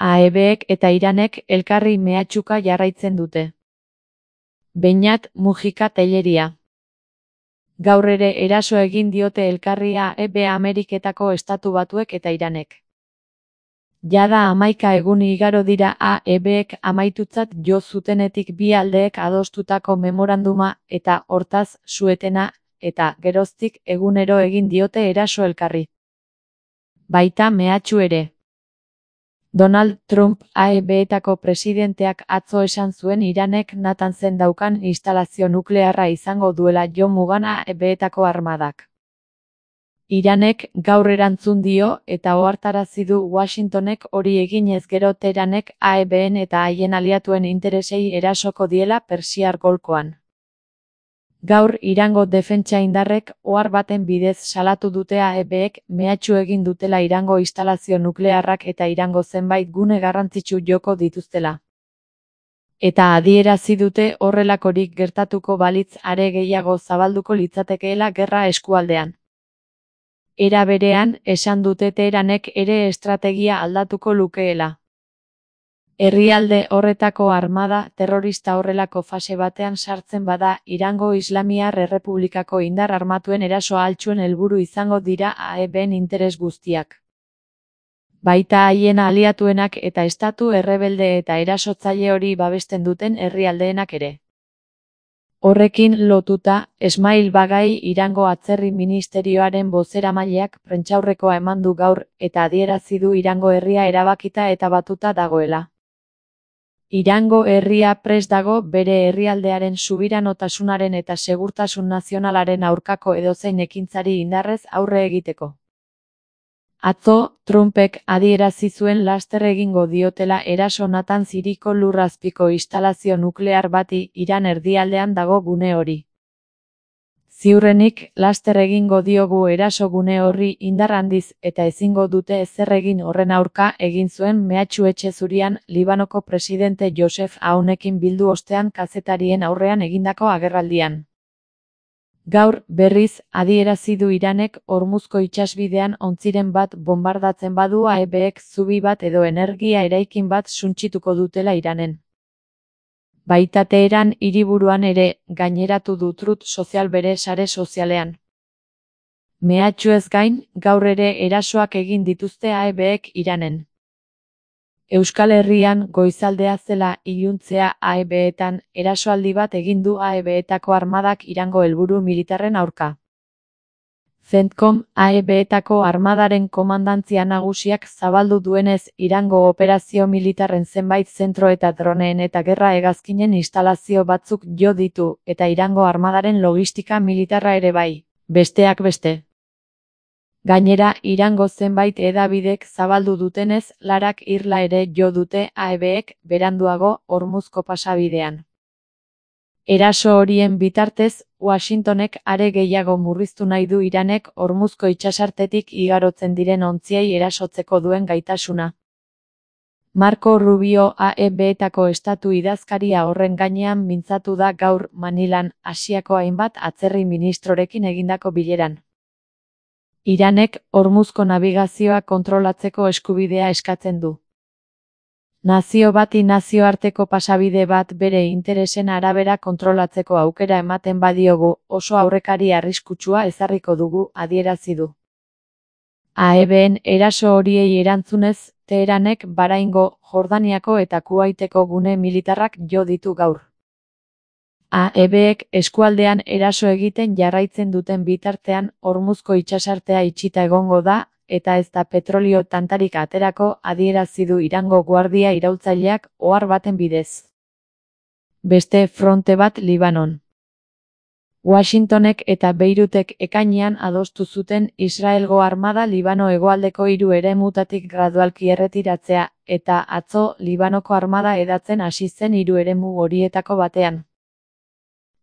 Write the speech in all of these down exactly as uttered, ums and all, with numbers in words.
A E Bek eta Iranek elkarri mehatxuka jarraitzen dute. Beñat Mujika Telleria. Gaur ere eraso egin diote elkarri A E B Ameriketako Estatu Batuek eta Iranek. Jada hamaika egun igaro dira A E Bek amaitutzat jo zutenetik bi aldeek adostutako memoranduma eta hortaz suetena eta geroztik egunero egin diote eraso elkarri. Baita mehatxu ere. Donald Trump A E Betako presidenteak atzo esan zuen Iranek Natanzen daukan instalazio nuklearra izango duela jo mugan A E Betako armadak. Iranek gaur erantzun dio eta ohartarazi du Washingtonek hori eginez gero Teheranek A E Ben eta haien aliatuen interesei erasoko diela Persiar Golkoan. Gaur Irango defentsa indarrek ohar baten bidez salatu dute A E Bek mehatxu egin dutela Irango instalazio nuklearrak eta Irango zenbait gune garrantzitsu joko dituztela. Eta adierazi dute horrelakorik gertatuko balitz are gehiago zabalduko litzatekeela gerra eskualdean. Era berean, esan dute Teheranek ere estrategia aldatuko lukeela. Herrialde horretako armada terrorista horrelako fase batean sartzen bada, Irango Islamiar Errepublikako indar armatuen eraso altxuen helburu izango dira A E Ben interes guztiak. Baita haien aliatuenak eta estatu errebelde eta erasotzaile hori babesten duten herrialdeenak ere. Horrekin lotuta, Esmail Bagai Irango Atzerri Ministerioaren bozeramaileak prentsaurrekoa eman du gaur eta adierazi du Irango herria erabakita eta batuta dagoela. Irango herria prest dago bere herrialdearen subiranotasunaren eta segurtasun nazionalaren aurkako edozein ekintzari indarrez aurre egiteko. Atzo, Trumpek adierazi zuen laster egingo diotela eraso Natanz hiriko lurrazpiko instalazio nuklear bati Iran erdialdean dago gune hori. Ziurrenik, laster egingo diogu eraso gune horri indar handiz eta ezingo dute ezer egin horren aurka egin zuen mehatxu etxe zurian Libanoko presidente Joseph Aunekin bildu ostean kazetarien aurrean egindako agerraldian. Gaur, berriz, adierazi du Iranek Hormuzko itsasbidean ontziren bat bonbardatzen badu A E Bek zubi bat edo energia eraikin bat suntsituko dutela Iranen. Baita Teheran hiriburuan ere, gaineratu du Truth Social bere sare sozialean. Mehatxuez gain, gaur ere erasoak egin dituzte A E Bek Iranen. Euskal Herrian goizaldea zela iluntzea A E Betan erasoaldi bat egin du A E Betako armadak Irango helburu militarren aurka. CENTCOM A E Betako armadaren komandantzia nagusiak zabaldu duenez Irango operazio militarren zenbait zentro eta droneen eta gerra hegazkinen instalazio batzuk jo ditu eta Irango armadaren logistika militarra ere bai, besteak beste. Gainera, Irango zenbait hedabidek zabaldu dutenez, larak irla ere jo dute A E Bek beranduago Hormuzko pasabidean. Eraso horien bitartez, Washingtonek are gehiago murriztu nahi du Iranek Hormuzko itsasartetik igarotzen diren ontziei erasotzeko duen gaitasuna. Marco Rubio A E Betako estatu idazkaria horren gainean mintzatu da gaur Manilan, Asiako hainbat atzerri ministrorekin egindako bileran. Iranek Hormuzko nabigazioa kontrolatzeko eskubidea eskatzen du. Nazio bati nazioarteko pasabide bat bere interesen arabera kontrolatzeko aukera ematen badiogu, oso aurrekari arriskutsua ezarriko dugu, adierazi du. A E Ben eraso horiei erantzunez, Teheranek Bahraingo, Jordaniako eta Kuwaiteko gune militarrak jo ditu gaur. A E Bek eskualdean eraso egiten jarraitzen duten bitartean Hormuzko itsasartea itxita egongo da, eta ez da petrolio tantarik aterako, adierazi du Irango guardia iraultzaileak ohar baten bidez. Beste fronte bat Libanon. Washingtonek eta Beirutek ekainean adostu zuten Israelgo armada Libano hegoaldeko hiru eremutatik gradualki erretiratzea, eta atzo Libanoko armada hedatzen hasi zen hiru eremu horietako batean.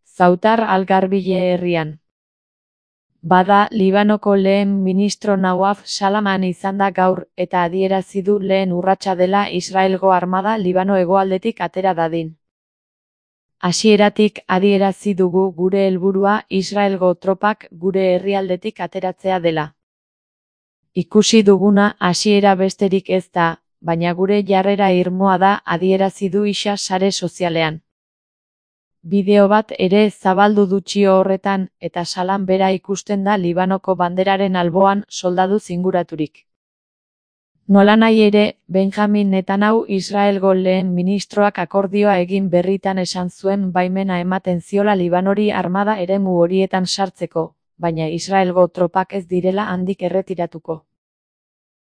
Zautar al-Garbile herrian. Bada, Libanoko lehen ministro Nawaf Salaman izan da gaur, eta adierazi du lehen urratsa dela Israelgo armada Libano hegoaldetik atera dadin. Hasieratik adierazi dugu gure helburua Israelgo tropak gure herrialdetik ateratzea dela. Ikusi duguna hasiera besterik ez da, baina gure jarrera irmoa da, adierazi du Isa sare sozialean. Bideo bat ere zabaldu du txio horretan, eta salan bera ikusten da Libanoko banderaren alboan soldadu zinguraturik. Nolanahi ere, Benjamin Netanyahu Israelgo lehen ministroak akordioa egin berritan esan zuen baimena ematen ziola Libanori armada eremu horietan sartzeko, baina Israelgo tropak ez direla handik erretiratuko.